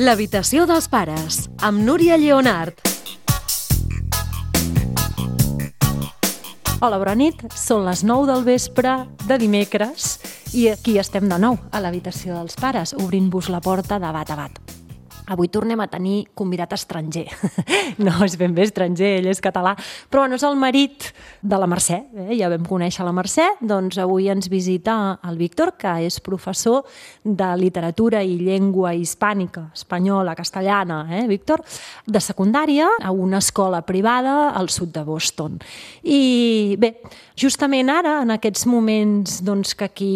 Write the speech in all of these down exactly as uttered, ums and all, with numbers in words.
L'habitació dels pares, amb Núria Lleonart. Hola, bona nit. Són les nou del vespre de dimecres i aquí estem de nou, a l'habitació dels pares, obrint-vos la porta de bat a bat. Avui tornem a tenir convidat estranger. No és ben bé estranger, ell és català, però no és el marit de la Mercè. Eh? Ja vam conèixer la Mercè, doncs avui ens visita el Víctor, que és professor de literatura i llengua hispànica, espanyola, castellana, eh, Víctor, de secundària a una escola privada al sud de Boston. I bé, justament ara, en aquests moments doncs, que aquí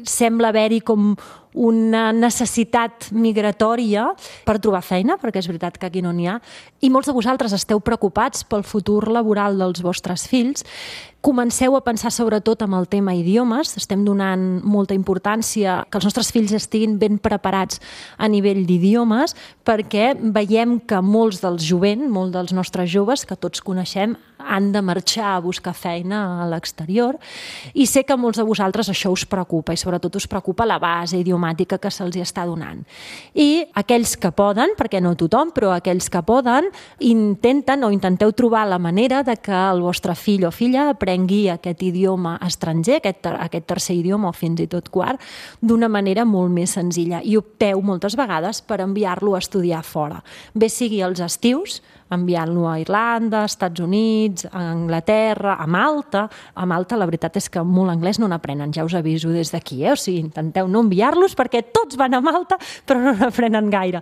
sembla haver-hi com una necessitat migratòria per trobar feina, perquè és veritat que aquí no n'hi ha, i molts de vosaltres esteu preocupats pel futur laboral dels vostres fills, comenceu a pensar sobretot amb el tema idiomes, estem donant molta importància que els nostres fills estiguin ben preparats a nivell d'idiomes, perquè veiem que molts dels jovent, molts dels nostres joves, que tots coneixem, han de marxar a buscar feina a l'exterior, i sé que molts de vosaltres això us preocupa, i sobretot us preocupa la base idiomàtica que se'ls està donant. I aquells que poden, perquè no tothom, però aquells que poden, intenten o intenteu trobar la manera de que el vostre fill o filla aprengui aquest idioma estranger, aquest, aquest tercer idioma o fins i tot quart, d'una manera molt més senzilla. I opteu moltes vegades per enviar-lo a estudiar fora. Bé sigui els estius, enviant-lo a Irlanda, als Estats Units, a Anglaterra, a Malta. A Malta la veritat és que molt anglès no n'aprenen, ja us aviso des d'aquí, eh? O sigui, intenteu no enviar-los perquè tots van a Malta però no n'aprenen gaire.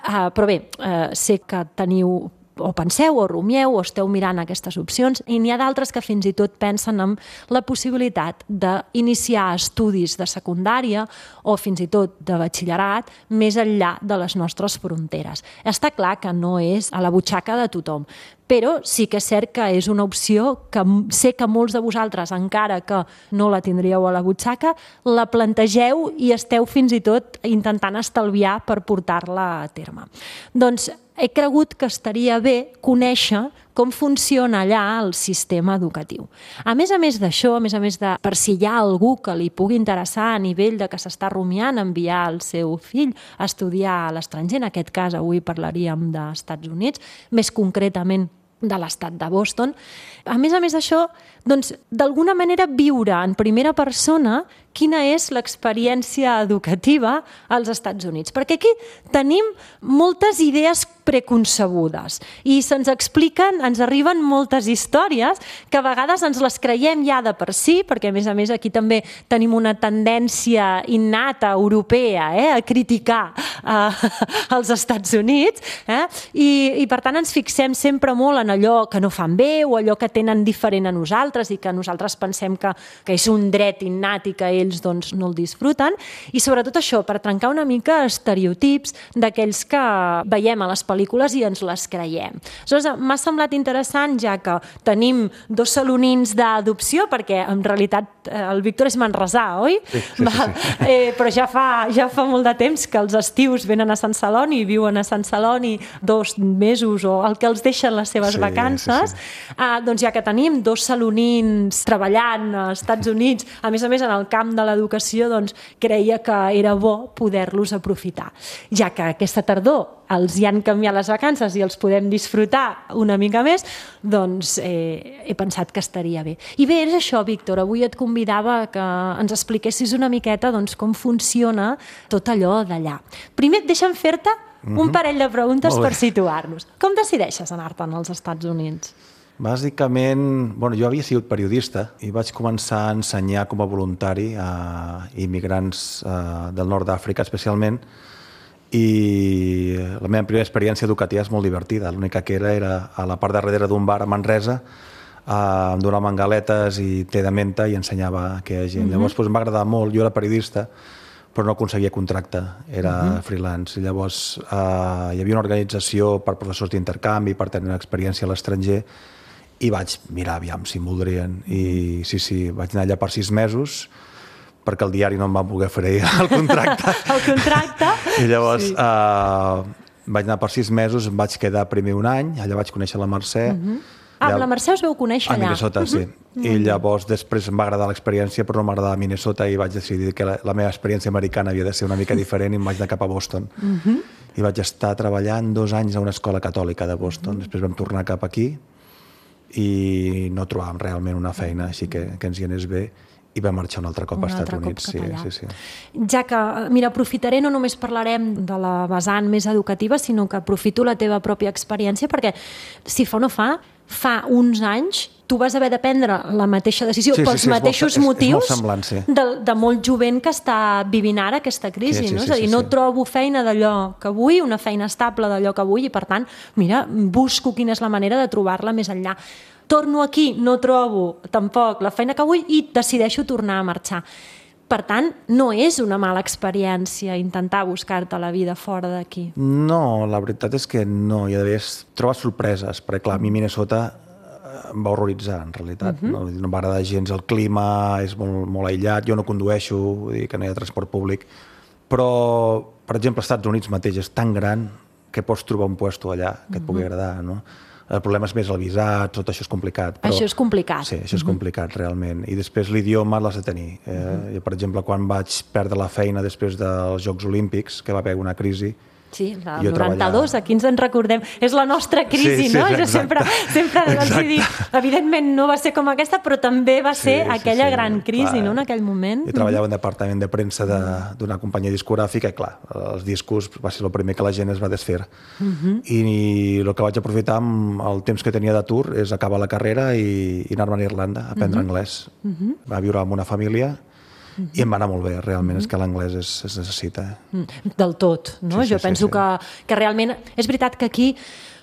Uh, però bé, uh, sé que teniu o penseu o rumieu o esteu mirant aquestes opcions i n'hi ha d'altres que fins i tot pensen en la possibilitat d'iniciar estudis de secundària o fins i tot de batxillerat més enllà de les nostres fronteres. Està clar que no és a la butxaca de tothom, però sí que és cert que és una opció que sé que molts de vosaltres, encara que no la tindríeu a la butxaca, la plantegeu i esteu fins i tot intentant estalviar per portar-la a terme. Doncs he cregut que estaria bé conèixer com funciona allà el sistema educatiu. A més a més d'això, a més a més de per si hi ha algú que li pugui interessar a nivell de que s'està rumiant enviar el seu fill a estudiar a l'estranger, en aquest cas avui parlaríem dels Estats Units, més concretament de l'estat de Boston. A més a més d'això, doncs, d'alguna manera viure en primera persona quina és l'experiència educativa als Estats Units. Perquè aquí tenim moltes idees preconcebudes i se'ns expliquen, ens arriben moltes històries que a vegades ens les creiem ja de per si, perquè a més a més aquí també tenim una tendència innata europea eh, a criticar eh, els Estats Units eh, i, i per tant ens fixem sempre molt en allò que no fan bé o allò que tenen diferent a nosaltres i que nosaltres pensem que, que és un dret innat i que ells doncs, no el disfruten, i sobretot això, per trencar una mica estereotips d'aquells que veiem a les pel·lícules i ens les creiem. Aleshores, m'ha semblat interessant, ja que tenim dos salonins d'adopció, perquè en realitat el Víctor és manresà, oi? Sí, sí, sí, sí. Eh, però ja fa, ja fa molt de temps que els estius venen a Sant Celoni i viuen a Sant Celoni dos mesos o el que els deixen les seves sí, vacances. Sí, sí. Ah, doncs ja que tenim dos salonins treballant als Estats Units, a més a més en el camp de l'educació, doncs creia que era bo poder-los aprofitar. Ja que aquesta tardor els hi han canviat les vacances i els podem disfrutar una mica més, doncs eh, he pensat que estaria bé. I bé, és això, Víctor, avui et convidava que ens expliquessis una miqueta doncs, com funciona tot allò d'allà. Primer, deixa'm fer-te mm-hmm. un parell de preguntes per situar-nos. Com decideixes anar-te'n als Estats Units? Bàsicament, bueno, jo havia sigut periodista i vaig començar a ensenyar com a voluntari a immigrants eh, del nord d'Àfrica especialment, i la meva primera experiència educativa és molt divertida. L'única que era era a la part de darrere d'un bar a Manresa, eh, em donaven galetes i te de menta i ensenyava a aquella gent. Mm-hmm. Llavors doncs, m'ha agradat molt, jo era periodista, però no aconseguia contracte, era uh-huh. freelance. Llavors eh, hi havia una organització per professors d'intercanvi, per tenir una experiència a l'estranger, i vaig mirar aviam si em voldrien. I sí, sí, vaig anar allà per sis mesos, perquè el diari no em va poder fer el contracte. El contracte? I llavors sí. eh, vaig anar per sis mesos, em vaig quedar primer un any, allà vaig conèixer la Mercè. Uh-huh. Ah, amb la Mercè us veu conèixer allà? A Minnesota, sí. Uh-huh. I llavors després em va agradar l'experiència, però no m'agradava Minnesota i vaig decidir que la, la meva experiència americana havia de ser una mica diferent i em vaig anar cap a Boston. Uh-huh. i vaig estar treballant dos anys a una escola catòlica de Boston. Després vam tornar cap aquí i no trobàvem realment una feina, així que, que ens hi anés bé, i va marxar un altre cop un als Estats altre Units. Cop cap sí, sí, sí. Ja que, mira, aprofitaré, no només parlarem de la vessant més educativa, sinó que aprofito la teva pròpia experiència, perquè si fa o no fa, fa uns anys tu vas haver de prendre la mateixa decisió sí, sí, pels sí, mateixos és molt, motius és, és molt semblant, sí. de, de molt jovent que està vivint ara aquesta crisi. Sí, sí, no? sí, És a dir, sí, no sí. trobo feina d'allò que vull, una feina estable d'allò que vull, i per tant, mira, busco quina és la manera de trobar-la més enllà. Torno aquí, no trobo tampoc la feina que vull i decideixo tornar a marxar. Per tant, no és una mala experiència intentar buscar-te la vida fora d'aquí. No, la veritat és que no. I a més, trobes sorpreses, perquè clar, a mi Minnesota em va horroritzar, en realitat. Uh-huh. No, no m'agrada gens el clima, és molt, molt aïllat, jo no condueixo, vull dir que no hi ha transport públic, però, per exemple, als Estats Units mateix és tan gran que pots trobar un puesto allà que et pugui uh-huh. agradar, no? El problema és més el visat, tot això és complicat. Però, això és complicat. Sí, això és complicat, realment. I després l'idioma l'has de tenir. Eh, uh-huh. Jo, per exemple, quan vaig perdre la feina després dels Jocs Olímpics, que va haver una crisi, sí, la jo noranta-dos, treballava... aquí ens en recordem. És la nostra crisi, sí, sí, no? exacte. Jo sempre, sempre els he dit, evidentment no va ser com aquesta, però també va ser sí, aquella sí, sí. gran crisi, clar. No?, en aquell moment. Jo treballava en departament de premsa d'una companyia discogràfica i, clar, els discos va ser el primer que la gent es va desfer. Uh-huh. I, I el que vaig aprofitar amb el temps que tenia d'atur és acabar la carrera i, i anar-me a Irlanda a aprendre uh-huh. anglès. Uh-huh. Va viure amb una família Uh-huh. i em va anar molt bé, realment, uh-huh. és que l'anglès es, es necessita. Uh-huh. Del tot, no? Sí, sí, jo penso sí, sí. Que, que realment... És veritat que aquí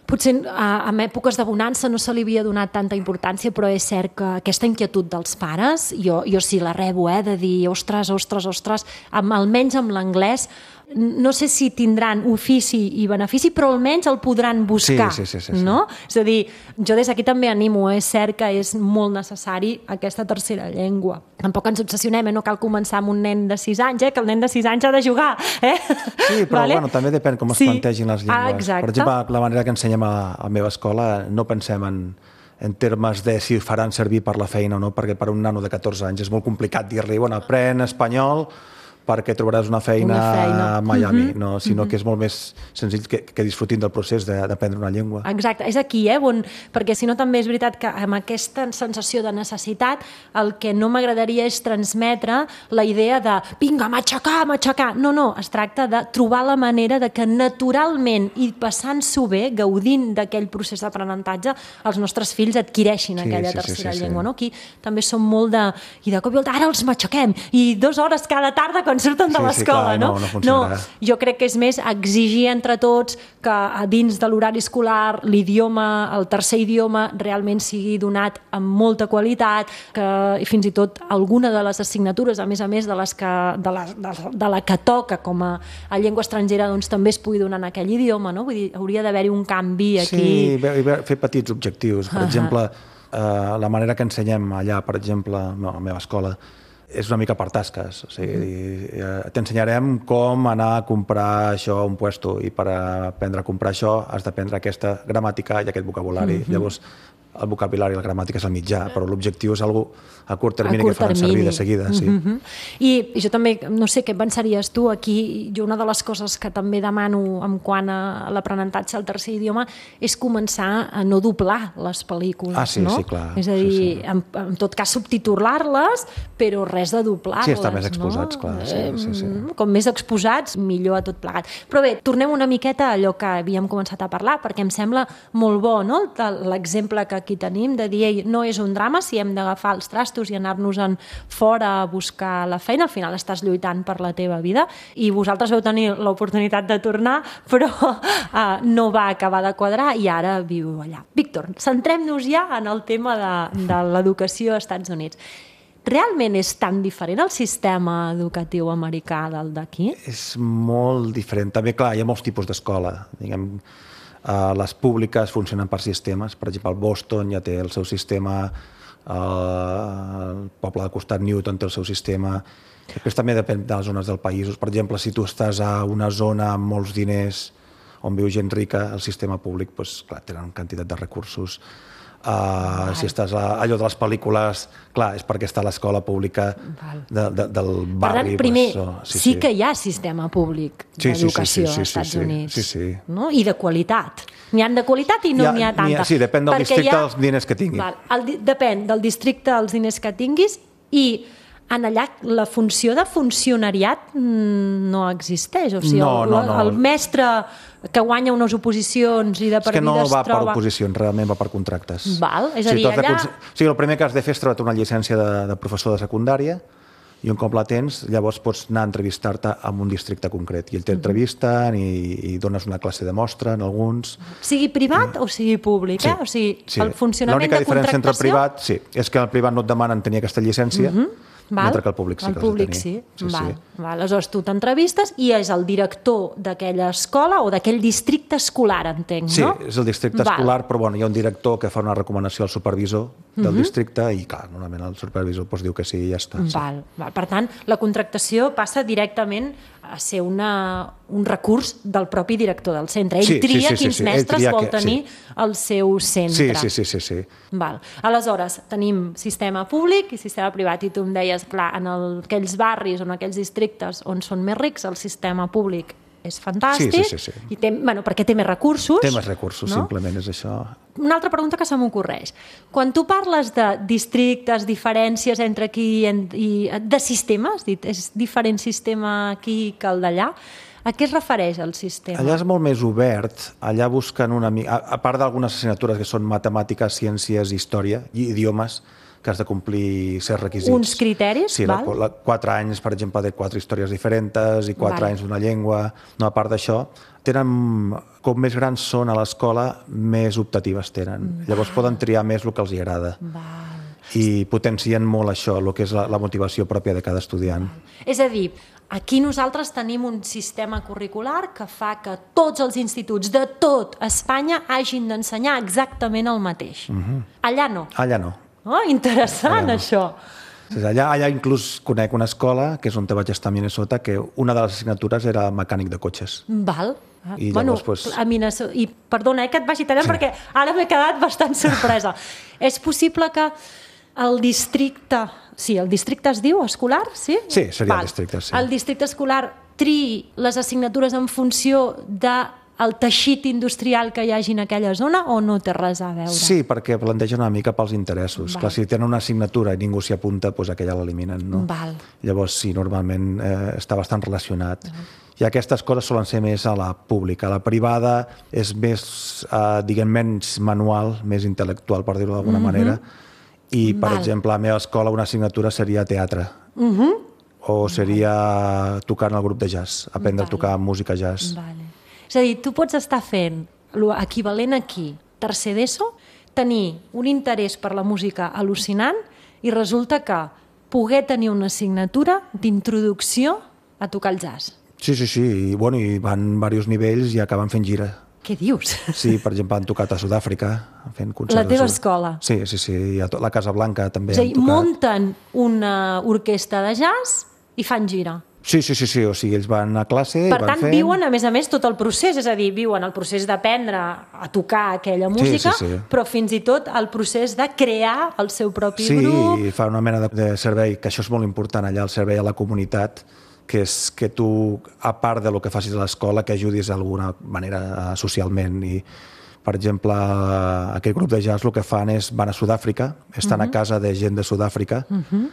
potser en èpoques de bonança no se li havia donat tanta importància, però és cert que aquesta inquietud dels pares, jo, jo sí la rebo, eh, de dir, ostres, ostres, ostres, amb, almenys amb l'anglès, no sé si tindran ofici i benefici, però almenys el podran buscar. Sí, sí, sí, sí, sí. No? És a dir, jo des d'aquí també animo, és cert que és molt necessari aquesta tercera llengua. Tampoc ens obsessionem, eh? No cal començar amb un nen de sis anys, eh? Que el nen de sis anys ha de jugar. Eh? Sí, però vale? Bueno, també depèn com es sí. plantegin les llengües. Ah, exacte. Per exemple, la manera que ensenyem a, a la meva escola no pensem en, en termes de si faran servir per la feina o no, perquè per un nano de catorze anys és molt complicat dir-li, bueno, aprèn espanyol perquè trobaràs una feina, una feina. a Miami, uh-huh. no, sinó uh-huh. que és molt més senzill que, que disfrutin del procés d'aprendre una llengua. Exacte, és aquí, eh, on, perquè si no també és veritat que amb aquesta sensació de necessitat el que no m'agradaria és transmetre la idea de vinga, m'aixecar, m'aixecar. No, no, es tracta de trobar la manera de que naturalment i passant-s'ho bé, gaudint d'aquell procés d'aprenentatge, els nostres fills adquireixin sí, aquella sí, tercera sí, sí, llengua. Sí. No? Aquí també som molt de... I de cop i volta, ara els m'aixequem, i dues hores cada tarda quan surten de sí, l'escola, sí, no? No, no, no, jo crec que és més exigir entre tots que a dins de l'horari escolar l'idioma, el tercer idioma realment sigui donat amb molta qualitat, que i fins i tot alguna de les assignatures, a més a més de, les que, de, la, de, de la que toca com a, a llengua estrangera, doncs també es pugui donar en aquell idioma, no? Vull dir, hauria d'haver-hi un canvi aquí. Sí, fer petits objectius. Per uh-huh. exemple, eh, la manera que ensenyem allà, per exemple, a la meva escola, és una mica per tasques. O sigui, mm. t'ensenyarem com anar a comprar això a un puesto i per aprendre a comprar això has d'aprendre aquesta gramàtica i aquest vocabulari. Mm-hmm. Llavors, el vocabulari i la gramàtica és el mitjà, però l'objectiu és algo a curt termini a curt que faran termini. servir de seguida. Sí. Mm-hmm. I jo també, no sé què pensaries tu aquí, jo una de les coses que també demano en quant a l'aprenentatge al tercer idioma és començar a no doblar les pel·lícules. Ah, sí, no? sí, clar. És a dir, sí, sí. En, en tot cas subtitular-les, però res de doblar-les. Sí, estar més exposats, no? clar. Sí, sí, sí. Com més exposats, millor a tot plegat. Però bé, tornem una miqueta a allò que havíem començat a parlar, perquè em sembla molt bo, no? L'exemple que aquí tenim de dir, ei, no és un drama si hem d'agafar els trastos i anar-nos-en fora a buscar la feina, al final estàs lluitant per la teva vida i vosaltres veu tenir l'oportunitat de tornar, però uh, no va acabar de quadrar i ara viu allà. Víctor, centrem-nos ja en el tema de, de l'educació als Estats Units. Realment és tan diferent el sistema educatiu americà del d'aquí? És molt diferent. També, clar, hi ha molts tipus d'escola. Diguem, uh, les públiques funcionen per sistemes. Per exemple, el Boston ja té el seu sistema, uh, el poble de costat Newton té el seu sistema. Després també depèn de les zones del país. Per exemple, si tu estàs a una zona amb molts diners on viu gent rica, el sistema públic, doncs, clar, tenen quantitat de recursos. Uh, si estàs a, allò de les pel·lícules, clar, és perquè està a l'escola pública de, de, del barri. Per tant, primer, pues, oh, sí, sí, sí que hi ha sistema públic sí, d'educació sí, sí, sí, als Estats sí, sí, Units. sí, sí. No? I de qualitat. N'hi ha de qualitat i no n'hi ha, ha tanta. Ha, sí, depèn del perquè districte ha, dels diners que tingui. Val, el, depèn del districte dels diners que tinguis i en allà la funció de funcionariat no existeix. O sigui, no, no, no. El, el mestre que guanya unes oposicions i de per vida es troba... És que no va troba... per oposicions, realment va per contractes. Val, és a dir, sí, allà... De... O sigui, el primer que has de fer és treure una llicència de, de professor de secundària i un cop la tens, llavors pots anar a entrevistar-te en un districte concret. I ell t'entrevisten i, i dones una classe de mostra en alguns... Sigui privat o sigui públic, sí, eh? O sigui, sí. el funcionament de contractació... L'única diferència entre el privat, sí, és que el privat no et demanen tenir aquesta llicència, mm-hmm. Val. Mentre que el públic sí el que públic els ha de tenir. Sí. Sí, Val. sí. Val. Aleshores tu t'entrevistes i és el director d'aquella escola o d'aquell districte escolar, entenc, sí, no? Sí, és el districte Val. escolar, però bueno, hi ha un director que fa una recomanació al supervisor del uh-huh. districte i, clar, normalment el supervisor pues, diu que sí i ja està. Val. Sí. Val. Per tant, la contractació passa directament a ser una, un recurs del propi director del centre. Ell sí, tria sí, sí, quins sí, sí. mestres tria vol que, tenir sí. al seu centre. Sí, sí, sí. sí, sí. Val. Aleshores, tenim sistema públic i sistema privat, i tu em deies, clar, en el, aquells barris o en aquells districtes on són més rics, el sistema públic és fantàstic, sí, sí, sí, sí. I té, bueno, perquè té més recursos. Té més recursos, no? Simplement és això. Una altra pregunta que se m'ocorreix. Quan tu parles de districtes, diferències entre aquí i, i de sistema, has dit, és diferent sistema aquí que el d'allà, a què es refereix el sistema? Allà és molt més obert, allà busquen una mica, a, a part d'algunes assignatures que són matemàtiques, ciències, història i idiomes, que has de complir certs requisits. Uns criteris, sí, val? Sí, quatre anys, per exemple, de quatre històries diferents i quatre val. anys d'una llengua. No, a part d'això, tenen, com més grans són a l'escola, més optatives tenen. Val. Llavors poden triar més el que els agrada. Val. I potencien molt això, el que és la, la motivació pròpia de cada estudiant. Val. És a dir, aquí nosaltres tenim un sistema curricular que fa que tots els instituts de tot Espanya hagin d'ensenyar exactament el mateix. Uh-huh. Allà no. Allà no. Oh, interessant, no. això. Allà, allà inclús conec una escola, que és on te vaig estar a Minnesota, que una de les assignatures era mecànic de cotxes. Val. I bueno, llavors, pues... a Minnesota... I perdona, eh, que et vagi tallant, sí. perquè ara m'he quedat bastant sorpresa. És possible que el districte... Sí, el districte es diu escolar, sí? Sí, seria Val. el districte, sí. El districte escolar triï les assignatures en funció de el teixit industrial que hi hagi en aquella zona o no té res a veure? Sí, perquè plantegen una mica pels interessos. Val. Clar, si tenen una assignatura i ningú s'hi apunta, doncs aquella l'eliminen, no? Val. Llavors, sí, normalment eh, està bastant relacionat. Val. I aquestes coses solen ser més a la pública. A la privada és més, eh, diguem, menys manual, més intel·lectual, per dir-ho d'alguna mm-hmm. manera. I, per Val. exemple, a la meva escola una assignatura seria teatre. Mm-hmm. O seria Val. tocar en el grup de jazz, aprendre Val. a tocar música jazz. Vale. És a dir, tu pots estar fent l'equivalent aquí, tercer d'ESO, tenir un interès per la música al·lucinant i resulta que poder tenir una assignatura d'introducció a tocar el jazz. Sí, sí, sí. I, bueno, i van diversos nivells i acaben fent gira. Què dius? Sí, per exemple, han tocat a Sud-àfrica, fent concerts. La teva escola? Sí, sí, sí. I a la Casa Blanca també és a dir, han tocat. munten una orquestra de jazz i fan gira. Sí, sí, sí, sí, o sigui, ells van a classe per i van tant, fent... viuen, a més a més, tot el procés, és a dir, viuen el procés d'aprendre a tocar aquella música, sí, sí, sí. però fins i tot el procés de crear el seu propi sí, grup. Sí, i fa una mena de, de servei, que això és molt important allà, el servei a la comunitat, que és que tu, a part de lo que facis a l'escola, que ajudis d'alguna manera socialment. I, per exemple, aquest grup de jazz el que fan és, van a Sud-àfrica, estan uh-huh. a casa de gent de Sud-àfrica, uh-huh.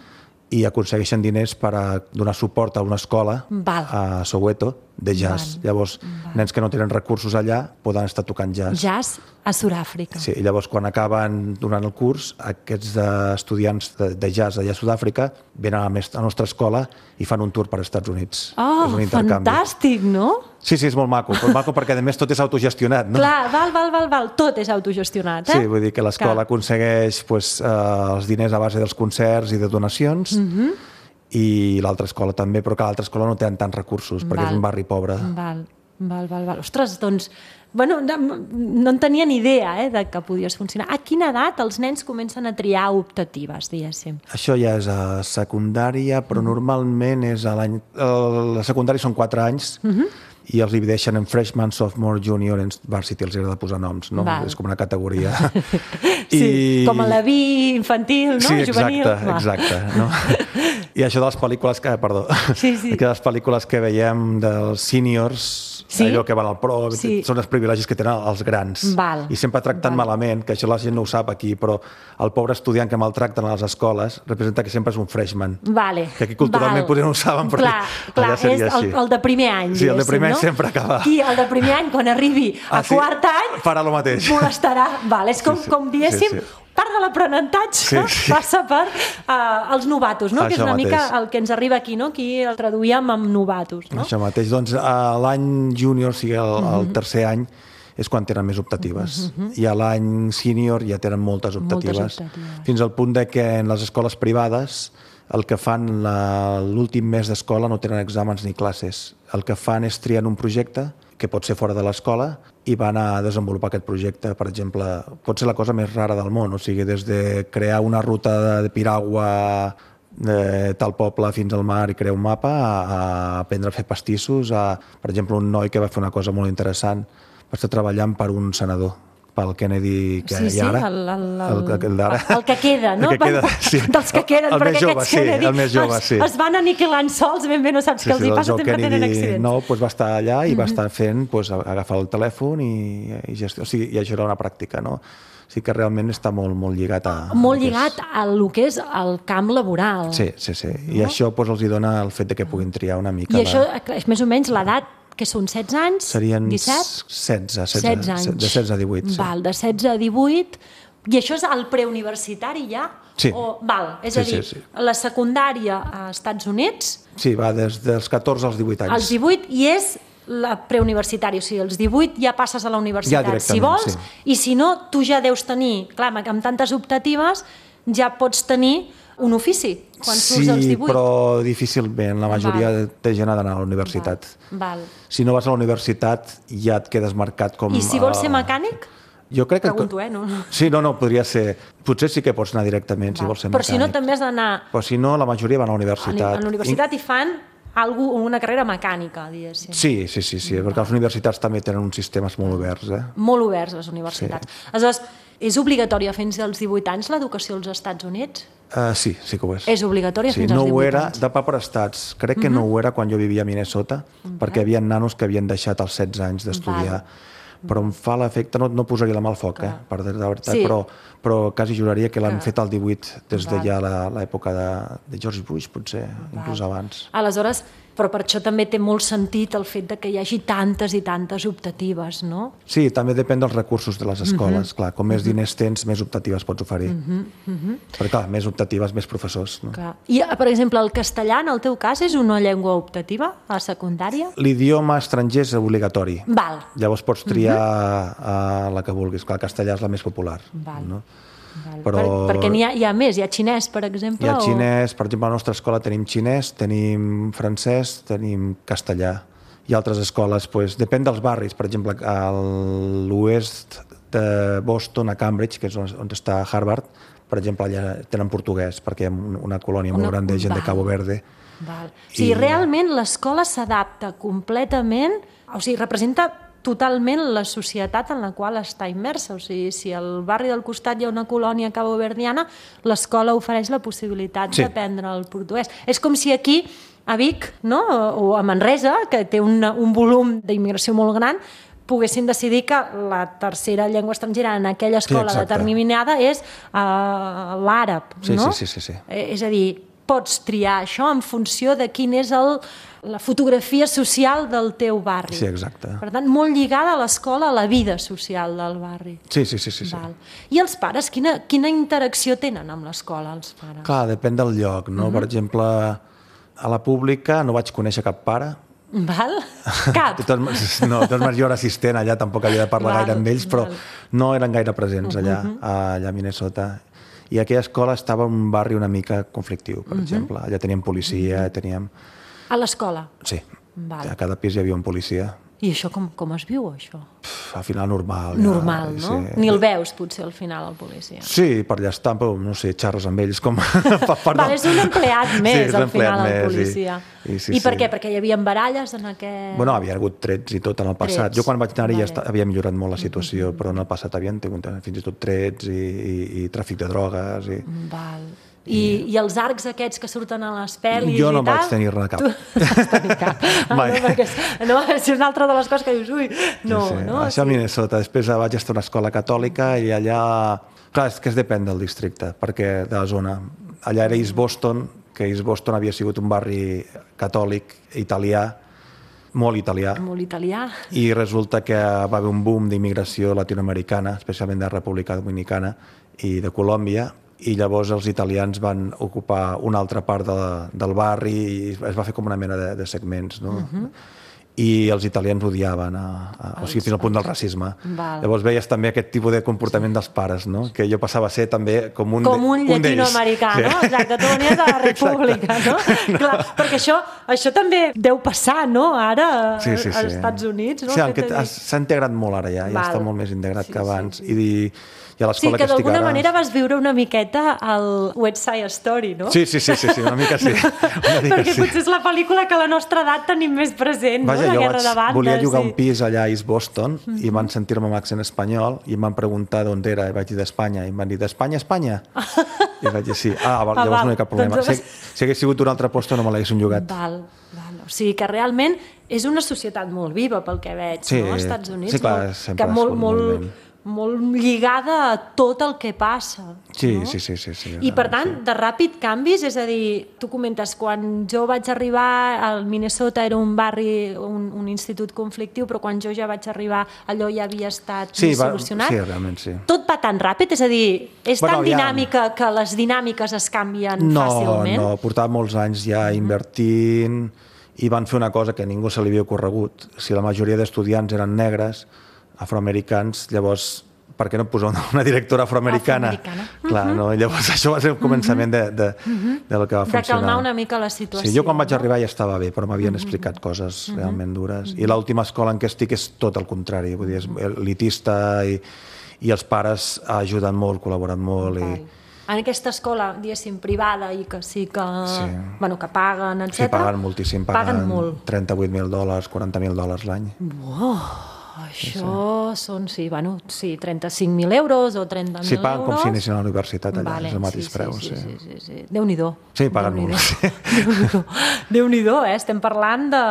i aconsegueixen diners per a donar suport a una escola Val. a Soweto de jazz. Val. Llavors, Val. nens que no tenen recursos allà poden estar tocant jazz. Jazz a Sud-àfrica. Sí, i llavors quan acaben durant el curs, aquests estudiants de, de jazz allà a Sud-àfrica venen a la, a la nostra escola i fan un tour per als Estats Units. Oh, fantàstic, no? Sí, sí, és molt maco, molt maco perquè a més tot és autogestionat, no? Clar, val, val, val, val, tot és autogestionat, eh? Sí, vull dir que l'escola aconsegueix pues, eh, els diners a base dels concerts i de donacions, mm-hmm. i l'altra escola també, però que l'altra escola no tenen tants recursos, perquè val. és un barri pobre. Val, val, val, val. Ostres, doncs, bueno, no, no en tenia ni idea eh, de que podies funcionar. A quina edat els nens comencen a triar optatives, diguéssim? Això ja és a secundària, però mm. normalment és a l'any... La secundària són quatre anys, mm-hmm. i els divideixen en freshman, sophomore, junior, en varsity, els agrada posar noms, no? Val. És com una categoria. Sí, I... com a la vi infantil, no? Sí, exacte, Juvenil. exacte. No? I això de les pel·lícules que, perdó, Sí, sí. que les pel·lícules que veiem dels seniors, Sí? allò que van al pro, Sí. són els privilegis que tenen els grans. Val. I sempre tracten Val. malament, que això la gent no ho sap aquí, però el pobre estudiant que maltracten a les escoles representa que sempre és un freshman. Vale. Que aquí culturalment Val. potser no ho saben, però clar, clar, allà seria és el, així. el de primer any, Sí, el de primer any no? sempre acaba. Qui, el de primer any, quan arribi a Ah, sí? quart any, Farà el mateix. molestarà. Val, és com, Sí, sí. com diguéssim, Sí, sí. part de l'aprenentatge Sí, sí. passa per uh, els novatos, no? Això que és una mateix. mica el que ens arriba aquí, no? Aquí el traduïem amb novatos, no? Això mateix. Doncs a l'any júnior, o sigui, el, el Mhm. tercer any, és quan tenen més optatives. I a l'any sènior ja tenen moltes optatives. Moltes optatives. Fins al punt de que en les escoles privades el que fan la- l'últim mes d'escola no tenen exàmens ni classes. El que fan és triar un projecte que pot ser fora de l'escola i van a desenvolupar aquest projecte. Per exemple, pot ser la cosa més rara del món, o sigui, des de crear una ruta de piragua de tal poble fins al mar i crear un mapa, a, a aprendre a fer pastissos, a, per exemple, un noi que va fer una cosa molt interessant, va estar treballant per un senador, pel Kennedy que Sí, hi sí, ha ara. el, el, El, el, el d'ara. el que queda, no? El que queda, sí. Dels que queden, El més perquè jove, aquests sí, Kennedy el més jove, es, sí. es van aniquilant sols, ben bé no saps Sí, què els sí, hi el passa, Joe sempre tenen Kennedy accidents. nou doncs va estar allà i va estar fent, doncs, agafar el telèfon i, i gestió. O sigui, i això era una pràctica, no? O sigui que realment està molt, molt lligat a... Molt a lligat a lo que és el camp laboral. Sí, sí, sí. I això doncs, els hi dona el fet de que puguin triar una mica... I això la... és més o menys l'edat, que són setze anys? Serien disset? setze, setze, setze anys. de setze a divuit. Sí. Val, de setze a divuit. I això és el preuniversitari ja? Sí. O, val, és Sí, a dir, sí, sí. la secundària a Estats Units, Sí, va des dels catorze als divuit anys. als divuit, i és la preuniversitària, o sigui, als divuit ja passes a la universitat, Ja si directament, vols, sí. i si no, tu ja deus tenir, clar, amb tantes optatives, ja pots tenir un ofici quan surts als Sí, divuit. però difícilment. La majoria Val. de gent ha d'anar a la universitat. Val. Si no vas a la universitat, ja et quedes marcat com... I si vols ser eh, mecànic? Jo crec que... Pregunto, eh? No, no. Sí, no, no, podria ser... Potser sí que pots anar directament, si Val. vols ser Però mecànic. si no, també has d'anar Però si no, la majoria van a la a universitat. la universitat i fan algú, una carrera mecànica, diguéssim. Sí, sí, sí, sí, perquè les universitats també tenen uns sistemes molt oberts, eh? Molt oberts, les universitats. Sí. Aleshores, és obligatòria fins als divuit anys l'educació als Estats Units? Uh, sí, sí que ho és. És obligatòria sí, fins als no ho divuit era, anys? de pa per estats. Crec que uh -huh. no ho era quan jo vivia a Minnesota, uh -huh. perquè hi havia nanos que havien deixat els setze anys d'estudiar. Però em fa l'efecte, no, no posaria la mà al foc, eh, per dir la veritat, Sí. però, però quasi juraria que l'han Que- fet al divuit des de Val. ja la- l'època de, de George Bush, potser, inclús abans. Aleshores, però per això també té molt sentit el fet de que hi hagi tantes i tantes optatives, no? Sí, també depèn dels recursos de les escoles. Uh -huh. Clar, com més diners tens, més optatives pots oferir. Uh -huh. Uh -huh. Però clar, més optatives, més professors. No? Clar. I, per exemple, el castellà, en el teu cas, és una llengua optativa a la secundària? L'idioma estranger és obligatori. Val. Llavors pots triar uh -huh. la que vulguis. Clar, el castellà és la més popular. Val. No? Val. Però- Per, perquè n'hi ha, hi ha més, hi ha xinès, per exemple? Hi ha o- xinès, per exemple, a la nostra escola tenim xinès, tenim francès, tenim castellà. I altres escoles, doncs, depèn dels barris. Per exemple, a l'oest de Boston, a Cambridge, que és on, on està Harvard, per exemple, allà tenen portuguès, perquè hi ha un- una colònia molt Una- gran de gent de val. Cabo Verde. Val. O sigui, I- realment l'escola s'adapta completament, o sigui, representa totalment la societat en la qual està immersa. O sigui, si al barri del costat hi ha una colònia caboverdiana, l'escola ofereix la possibilitat Sí. d'aprendre el portuguès. És com si aquí, a Vic, no? o a Manresa, que té una, un volum d'immigració molt gran, poguessin decidir que la tercera llengua estrangera en aquella escola exacte. determinada és uh, l'àrab, Sí, no? sí, sí, sí, sí. Eh, És a dir, pots triar això en funció de quin és el, la fotografia social del teu barri. Sí, exacte. Per tant, molt lligada a l'escola, a la vida social del barri. Sí, sí, sí. sí, sí. Val. I els pares, quina, quina interacció tenen amb l'escola, els pares? Clar, depèn del lloc, no? Uh -huh. Per exemple, a la pública no vaig conèixer cap pare. Val? Cap? De totes maneres, no, de totes maneres jo era assistent allà, tampoc havia de parlar Val, gaire amb ells, però val. no eren gaire presents allà, Uh-huh. allà a Minnesota. I aquella escola estava en un barri una mica conflictiu, per Uh-huh. exemple. Allà teníem policia, teníem... A l'escola? Sí, Val. a cada pis hi havia un policia. I això com, com es viu, això? Pff, al final normal. Normal, ja, no? Sí. Ni el veus, potser, al final, el policia. Sí, per allà estan, però no sé, xarres amb ells com... per, per Vale, és un empleat més, sí, al final, el més, policia. I, i, sí, I per sí. què? Perquè hi havia baralles en aquest... Bueno, havia hagut trets i tot en el passat. Trets. Jo quan vaig anar-hi Vale. ja està, havia millorat molt la situació, mm-hmm. però en el passat havien tingut fins i tot trets i, i, i tràfic de drogues. I... Val. I, I els arcs aquests que surten a les pel·lis jo no i tal... vaig tenir-ne cap. Tu no vas tenir cap. Ah, Mai. no, perquè és, no, és una altra de les coses que dius, ui, no, sí, sí. no? Això a Minnesota. Després vaig estar a una escola catòlica i allà... Clar, és que es depèn del districte, perquè de la zona. Allà era East Boston, que East Boston havia sigut un barri catòlic, italià, molt italià. Molt italià. I resulta que va haver un boom d'immigració latinoamericana, especialment de República Dominicana i de Colòmbia, i llavors els italians van ocupar una altra part de, del barri i es va fer com una mena de, de segments, no? Uh-huh. I els italians odiaven, a, a, o sigui, fins al punt del racisme. Val. Llavors veies també aquest tipus de comportament dels pares, no? Que jo passava a ser també com un, com un llatinoamericà, sí. no? Exacte, tu venies de la República, no? Clar, perquè això, això també deu passar, no? Ara, sí, sí, sí. als Estats Units, no? Sí, el que s'ha integrat molt ara ja, ja Val. està molt més integrat sí, que abans. Sí, sí. I, i a sí, l'escola que, que estic d'alguna ara... manera vas viure una miqueta al West Side Story, no? Sí, sí, sí, sí, sí una mica sí. Una mica perquè sí. potser és la pel·lícula que a la nostra edat tenim més present, Vaja, no? La jo Guerra vaig, de Bandes. volia llogar sí. un pis allà a East Boston mm-hmm. i van sentir-me amb accent espanyol i em van preguntar d'on era, i vaig dir d'Espanya, i em van dir d'Espanya, Espanya? I vaig dir sí. Ah, val, ah, llavors val. no hi ha cap problema. Doncs... Si, si hagués sigut un altre lloc no me l'haguessin llogat. Val, val. O sigui que realment és una societat molt viva pel que veig, sí, no? Als Estats Units. Sí, clar, molt, sempre que molt, molt, moviment. molt lligada a tot el que passa. Sí, no? sí, sí, sí, sí. I per tant, sí. de ràpid canvis, és a dir, tu comentes, quan jo vaig arribar al Minnesota era un barri, un, un institut conflictiu, però quan jo ja vaig arribar allò ja havia estat sí, va, solucionat. Sí, realment, sí. Tot va tan ràpid? És a dir, és bueno, tan ja... dinàmica que les dinàmiques es canvien no, fàcilment? No, no, portava molts anys ja invertint i van fer una cosa que a ningú se li havia ocorregut. Si la majoria d'estudiants eren negres, afroamericans, llavors per què no posar una directora afroamericana? Afroamericana. Clar, no? I llavors això va ser el començament de, de, de lo que va funcionar. De calmar una mica la situació. Sí, jo quan vaig arribar ja estava bé, però m'havien explicat coses realment dures. I l'última escola en què estic és tot el contrari, vull dir, és elitista i, i els pares ajuden molt, col·laboren molt. I... En aquesta escola, diguéssim, privada i que sí que, sí. bueno, que paguen, etcètera. Sí, paguen moltíssim, paguen, paguen molt. trenta-vuit mil dòlars, quaranta mil dòlars l'any. Uau! Això sí. són, sí, bueno, sí, trenta-cinc mil euros o trenta mil euros. Sí, paguen com si anessin a la universitat allà, vale, és el mateix sí, preu. Sí, sí, sí, sí, sí. Déu-n'hi-do. Sí, paguen Déu molt. Sí. Déu-n'hi-do, Déu-n'hi-do, eh? Estem parlant de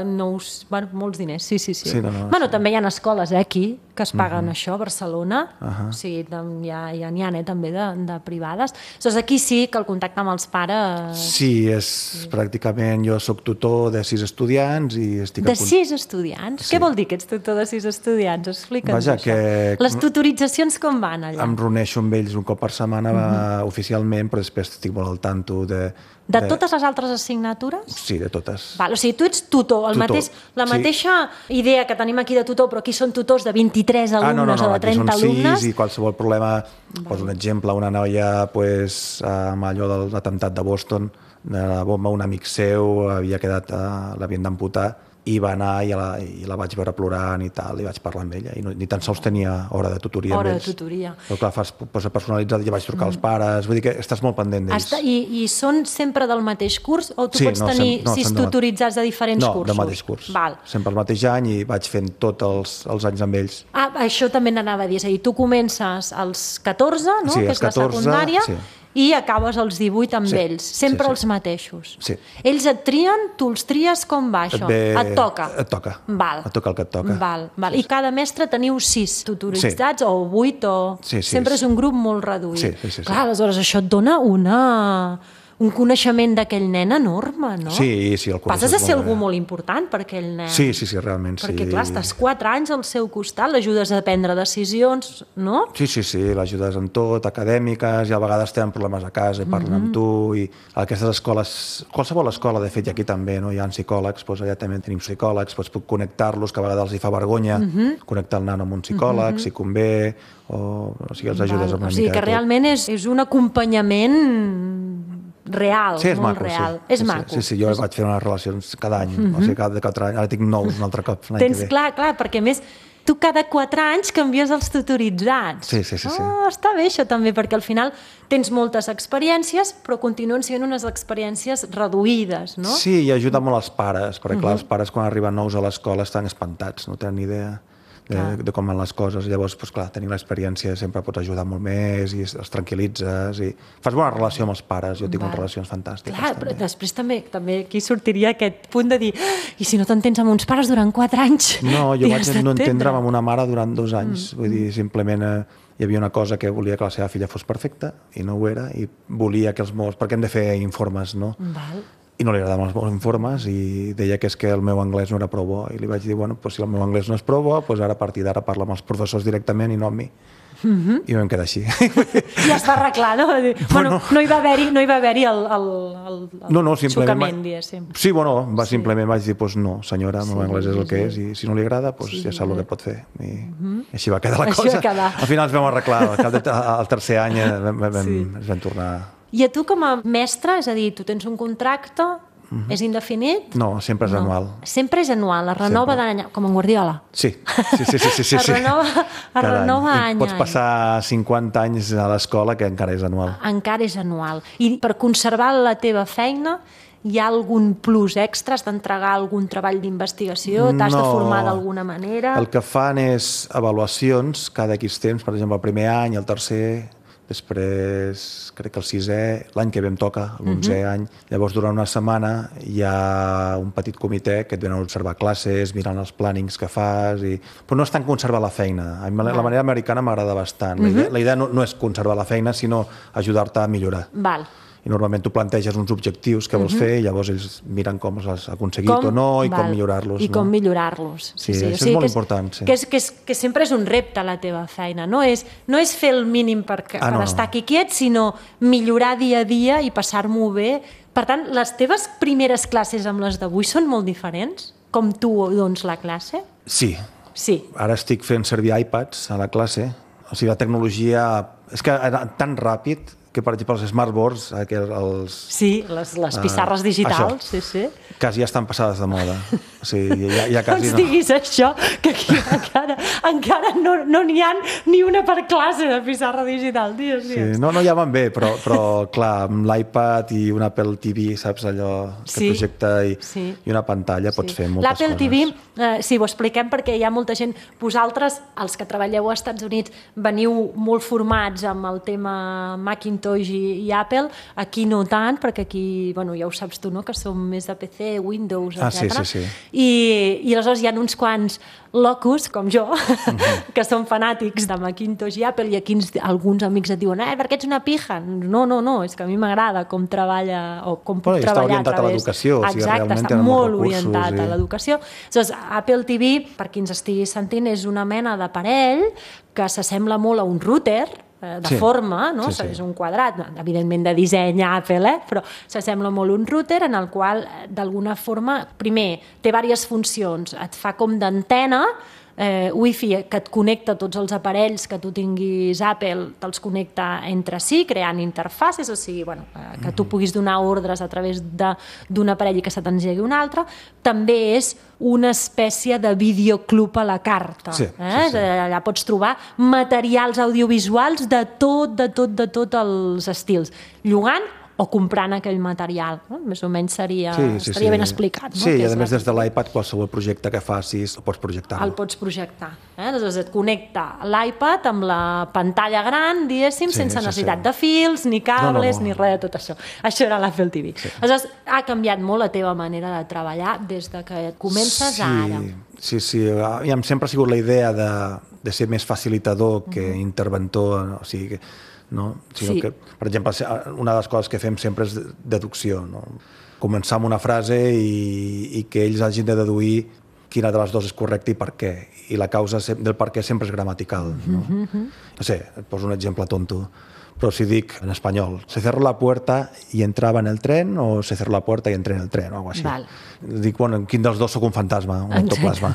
nous, bueno, molts diners, sí, sí, sí. sí no, no, bueno, sí. també hi ha escoles, eh, aquí, que es paguen uh-huh. això, a Barcelona, uh-huh. o sigui, hi ha, hi ha, hi ha eh, també de, de privades. Llavors, aquí sí que el contacte amb els pares... Sí, és sí. pràcticament, jo sóc tutor de sis estudiants i estic... De sis estudiants? Sí. Què vol dir que ets tutor de sis estudiants? Explica'ns Vaja, això. que... Les tutoritzacions com van allà? Em reuneixo amb ells un cop per setmana uh-huh. oficialment, però després estic molt al tanto de... De totes les altres assignatures? Sí, de totes. Val, o sigui, tu ets tutor, el tutor. Mateix, la sí. mateixa idea que tenim aquí de tutor, però aquí són tutors de vint-i-tres alumnes ah, no, no, no, o de trenta alumnes. alumnes. Aquí són sis i qualsevol problema, poso un exemple, una noia pues, amb allò de l'atemptat de Boston, de la bomba, un amic seu havia quedat, uh, l'havien d'amputar, i va anar i la, i la vaig veure plorant i tal, i vaig parlar amb ella, i no, ni tan sols tenia hora de tutoria hora amb ells. de tutoria. Però clar, fas posa personalitzat, ja vaig trucar mm. als pares, vull dir que estàs molt pendent d'ells. I, I són sempre del mateix curs o tu sí, pots no, tenir sem no, sis tutoritzats de diferents no, cursos? No, del mateix curs. Val. Sempre el mateix any i vaig fent tots els, els anys amb ells. Ah, això també n'anava a dir, és a dir, tu comences als catorze, no? Sí, que és la secundària, sí. i acabes als divuit amb sí, ells, sempre sí, sí. els mateixos. Sí. Ells et trien, tu els tries, com va això? Et, ve... et toca? Et toca. Val. Et toca el que et toca. Val, val. Sí, I cada mestre teniu sis tutoritzats sí. o vuit o... Sí, sí, sempre sí. és un grup molt reduït. Sí, sí, sí, Clar, sí. aleshores això et dona una... un coneixement d'aquell nen enorme, no? Sí, sí, el passes a ser molt algú bé. molt important per aquell nen. Sí, sí, sí, realment. Perquè, sí. clar, estàs quatre anys al seu costat, l'ajudes a prendre decisions, no? Sí, sí, sí, l'ajudes en tot, acadèmiques, i a vegades tenen problemes a casa i parlen mm-hmm. amb tu, i aquestes escoles, qualsevol escola, de fet, i aquí també, no? Hi ha psicòlegs, doncs allà també tenim psicòlegs, doncs puc connectar-los, que a vegades els hi fa vergonya mm-hmm. connectar el nano amb un psicòleg, mm-hmm. si convé, o, o sigui, els ajudes Val. amb una o sigui mica que de tot. realment és, és un acompanyament real, sí, és molt maco, real. Sí. És sí, maco. Sí, sí, jo vaig fer unes relacions cada any, mm -hmm. o sigui, cada quatre anys, ara tinc nous un altre cop l'any Tens, que ve. clar, clar, perquè a més tu cada quatre anys canvies els tutoritzats. Sí, sí, sí. sí. Oh, està bé això també, perquè al final tens moltes experiències, però continuen sent unes experiències reduïdes, no? Sí, i ajuda molt als pares, perquè clar, els pares quan arriben nous a l'escola estan espantats, no tenen ni idea de, de com van les coses. Llavors, doncs, clar, tenint l'experiència sempre pots ajudar molt més i els tranquil·litzes i fas bona relació amb els pares. Jo tinc unes relacions fantàstiques. Clar, també. però després també, també aquí sortiria aquest punt de dir i si no t'entens amb uns pares durant quatre anys? No, jo vaig no entendre'm entendre'm amb una mare durant dos anys. Mm. Vull dir, simplement eh, hi havia una cosa que volia que la seva filla fos perfecta i no ho era, i volia que els meus... perquè hem de fer informes, no? Val. I no li agradaven els meus informes i deia que és que el meu anglès no era prou bo. I li vaig dir, bueno, pues si el meu anglès no és prou bo, pues ara a partir d'ara parla amb els professors directament i no amb mi. Mm-hmm. I vam quedar així. Ja està arreglat, no? Bueno, bueno no hi va haver-hi no hi va haver-hi el, el, el, el no, no, xocament, va... diguéssim. Sí, bueno, va, sí. simplement vaig dir, pues no, senyora, el meu sí, anglès és el que és i si no li agrada, pues sí, ja sap sí. el que pot fer. I mm-hmm. així va quedar la així cosa. Quedar. Al final ens vam arreglar, al cap de, al tercer any vam, vam, sí. ens vam tornar... I a tu com a mestre, és a dir, tu tens un contracte, mm-hmm. és indefinit? No, sempre és no. anual. Sempre és anual, es renova d'any, com en Guardiola. Sí, sí, sí. sí, sí, sí. es renova, es renova any. any Pots passar cinquanta anys a l'escola que encara és anual. Encara és anual. I per conservar la teva feina, hi ha algun plus extra? Has d'entregar algun treball d'investigació? T'has no, de formar d'alguna manera? El que fan és avaluacions cada X temps, per exemple, el primer any, el tercer... Després, crec que el sisè, l'any que ve em toca, l'onzè uh-huh. any. Llavors, durant una setmana hi ha un petit comitè que et venen a observar classes, mirant els plànings que fas, i... però no és tant conservar la feina. A mi la manera americana m'agrada bastant. Uh-huh. La idea, la idea no, no és conservar la feina, sinó ajudar-te a millorar. Val. I normalment tu planteges uns objectius que vols uh-huh. fer i llavors ells miren com els has aconseguit com? o no i Val. com millorar-los. I no? com millorar-los. Sí, sí, això o sigui, és molt important. Sí. Que, és, que, és, que sempre és un repte la teva feina. No és, no és fer el mínim per, ah, per no, estar aquí quiet, sinó millorar dia a dia i passar-m'ho bé. Per tant, les teves primeres classes amb les d'avui són molt diferents? Com tu dones la classe? Sí. sí. Ara estic fent servir iPads a la classe. O sigui, la tecnologia... És que era tan ràpid que, per exemple, els smartboards, els... Sí, les, les pissarres uh, digitals, això, sí, sí. Quasi ja estan passades de moda. O sigui, ja, ja quasi no ens diguis això, que aquí encara, encara no n'hi no ha ni una per classe de pissarra digital, dies, dies. Sí, no, no, ja van bé, però, però clar, amb l'iPad i un Apple T V, saps, allò que sí, projecta i, sí. i una pantalla pots sí. fer moltes L'Apple coses. L'Apple T V, eh, sí, ho expliquem perquè hi ha molta gent, vosaltres, els que treballeu als Estats Units, veniu molt formats amb el tema Macintosh i, i Apple, aquí no tant, perquè aquí, bueno, ja ho saps tu, no?, que som més de P C, Windows, etcètera. Ah, sí, sí, sí. I, i aleshores hi ha uns quants locus, com jo, uh-huh. que són fanàtics de Macintosh i Apple, i aquí ens, alguns amics et diuen, eh, perquè ets una pija. No, no, no, és que a mi m'agrada com treballa, o com puc bueno, treballar a través. Està orientat a l'educació, o sigui, exacte, està molt orientat i... a l'educació. Aleshores, Apple T V, per qui ens estigui sentint, és una mena d'aparell que s'assembla molt a un router, de sí. forma, no? Sí, sí. És un quadrat, evidentment de disseny Apple, eh? Però s'assembla molt un router en el qual, d'alguna forma, primer, té diverses funcions, et fa com d'antena, eh, Wi-Fi que et connecta tots els aparells que tu tinguis Apple, te'ls connecta entre si, creant interfaces, o sigui, bueno, eh, que tu puguis donar ordres a través d'un aparell i que se t'engegui un altre. També és una espècie de videoclub a la carta. Sí, eh? sí, sí. Allà pots trobar materials audiovisuals de tot, de tot, de tot els estils. Llogant o comprant aquell material. No? Més o menys seria, sí, sí, estaria sí. ben explicat. No? Sí, i a més la... des de l'iPad qualsevol projecte que facis el pots projectar. El pots projectar. Eh? Aleshores et connecta l'iPad amb la pantalla gran, diguéssim, sí, sense necessitat sí, sí. de fils, ni cables, no, no, no. ni res de tot això. Això era l'Apple T V. Sí. Aleshores ha canviat molt la teva manera de treballar des de que comences sí, ara. Sí, sí. I sempre ha sigut la idea de, de ser més facilitador que uh-huh. interventor, o sigui que no? Sinó sí. que, per exemple, una de les coses que fem sempre és deducció, no? Començar amb una frase i, i que ells hagin de deduir quina de les dues és correcta i per què. I la causa del per què sempre és gramatical. No, mm-hmm. no sé, et poso un exemple tonto. Però si dic en espanyol, se cerró la puerta i entrava en el tren o se cerró la puerta i entré en el tren o alguna cosa així. Val. Dic, bueno, quin dels dos sóc un fantasma, un ectoplasma.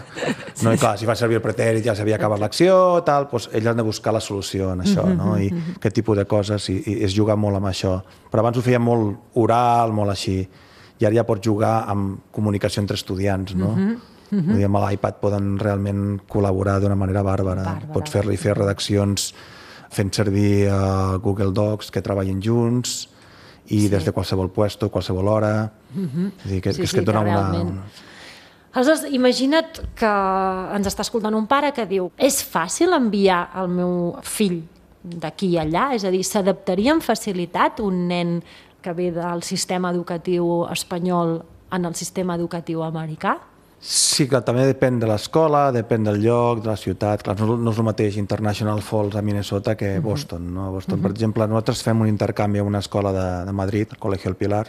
No, i clar, si fa servir el pretèrit ja s'havia acabat l'acció, tal, doncs ells han de buscar la solució en això, no? I aquest tipus de coses, i, i es juga molt amb això. Però abans ho feia molt oral, molt així, i ara ja pots jugar amb comunicació entre estudiants, no? Mm-hmm. Vull dir, amb l'iPad poden realment col·laborar d'una manera bàrbara. bàrbara. Pots fer-li fer redaccions fent servir uh, Google Docs que treballen junts i sí. des de qualsevol puesto, qualsevol hora. Mm-hmm. És dir, que, sí, que, és que et dona una... una... Aleshores, imagina't que ens està escoltant un pare que diu és fàcil enviar el meu fill d'aquí a allà? És a dir, s'adaptaria amb facilitat un nen que ve del sistema educatiu espanyol en el sistema educatiu americà? Sí, que també depèn de l'escola, depèn del lloc, de la ciutat. Clar, no, no és el mateix International Falls a Minnesota que Boston. No? A Boston, uh-huh. per exemple, nosaltres fem un intercanvi a una escola de, de Madrid, el Colegio El Pilar,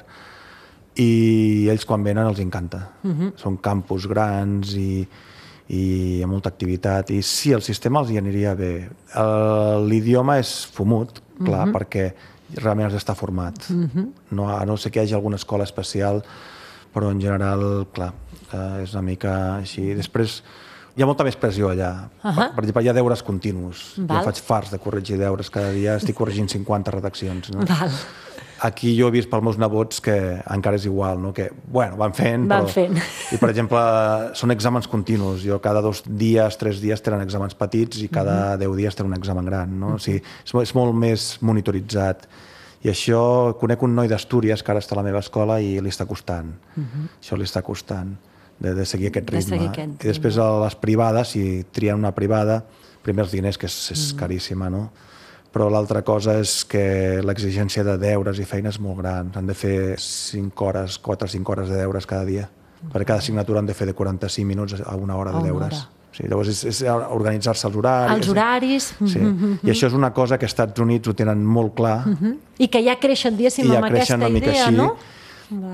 i ells quan venen els encanta. Uh-huh. Són campus grans i, i amb molta activitat. I sí, el sistema els hi aniria bé. L'idioma és fumut, clar, uh-huh. perquè realment has d'estar format. Uh-huh. No, a no sé que hi hagi alguna escola especial, però en general, clar, eh, és una mica així. Després, hi ha molta més pressió allà. Uh-huh. per, per exemple, hi ha deures continus. Val. Jo faig farts de corregir deures. Cada dia estic corregint cinquanta redaccions. No? Val. Aquí jo he vist pels meus nebots que encara és igual, no? Que, bueno, van fent, van però... fent. I, per exemple, són exàmens continus. Jo cada dos dies, tres dies tenen exàmens petits i cada uh-huh. deu dies tenen un examen gran, no? Uh-huh. O sigui, és, és molt més monitoritzat. I això, conec un noi d'Astúries que ara està a la meva escola i li està costant. Uh-huh. Això li està costant, de, de seguir aquest ritme. Seguir aquest ritme. I després a les privades, si trien una privada, primer els diners, que és, és uh-huh. caríssima, no? Però l'altra cosa és que l'exigència de deures i feines és molt gran. Han de fer cinc hores, quatre o cinc hores de deures cada dia. Uh-huh. Per cada assignatura han de fer de quaranta-cinc minuts a una hora de deures. Sí, llavors és, és organitzar-se els horaris. Els horaris. Sí. Uh-huh. I això és una cosa que als Estats Units ho tenen molt clar. Uh-huh. I que ja creixen, diguéssim, ja amb aquesta idea, així, no?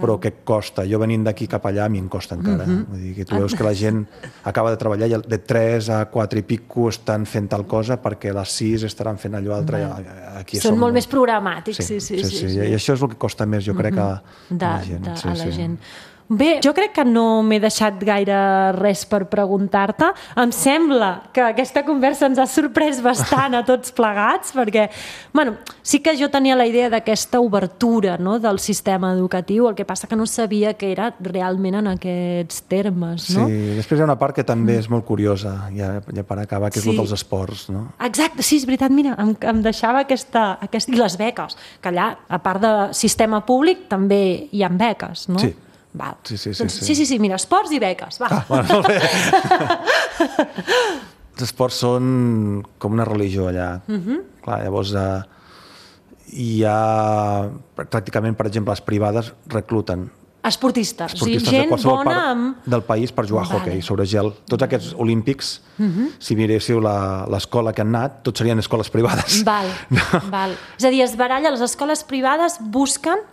Però que costa. Jo venint d'aquí cap allà a mi em costa encara. Uh-huh. Vull dir que tu veus que la gent acaba de treballar i de tres a quatre i pico estan fent tal cosa perquè a les sis estaran fent allò altre. Uh-huh. Aquí són molt més programàtics. Sí, sí, sí, sí, sí, sí. I això és el que costa més, jo crec, uh-huh. a, de, a la gent. De, sí, a la sí. gent. Bé, jo crec que no m'he deixat gaire res per preguntar-te. Em sembla que aquesta conversa ens ha sorprès bastant a tots plegats, perquè, bueno, sí que jo tenia la idea d'aquesta obertura, no?, del sistema educatiu, el que passa que no sabia que era realment en aquests termes, no? Sí, després hi ha una part que també és molt curiosa, ja, ja per acabar, que és sí. el dels esports, no? Exacte, sí, és veritat, mira, em, em deixava aquesta, aquesta... I les beques, que allà, a part de sistema públic, també hi ha beques, no? Sí. Val. Sí, sí, sí, doncs, sí. sí, sí, sí, mira, esports i beques, va. Ah, bueno, molt bé. Els esports són com una religió allà. Uh-huh. Clar, llavors eh, hi ha pràcticament, per exemple, les privades recluten esportistes, esportistes o sigui, gent de qualsevol bona part amb... del país per jugar a vale. hoquei sobre gel. Tots aquests olímpics, uh-huh. si miréssiu la, l'escola que han anat, tots serien escoles privades. Val, no. val. És a dir, es baralla, les escoles privades busquen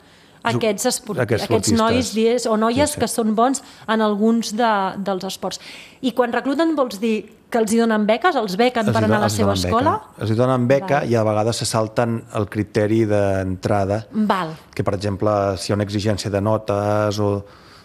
aquests, esport... aquests, aquests nois dies, o noies sí, sí. que són bons en alguns de, dels esports. I quan recluten vols dir que els hi donen beques? Els bequen els per anar a la seva escola? Beca. Els hi donen beca Val. I a vegades se salten el criteri d'entrada. Val. Que, per exemple, si hi ha una exigència de notes o...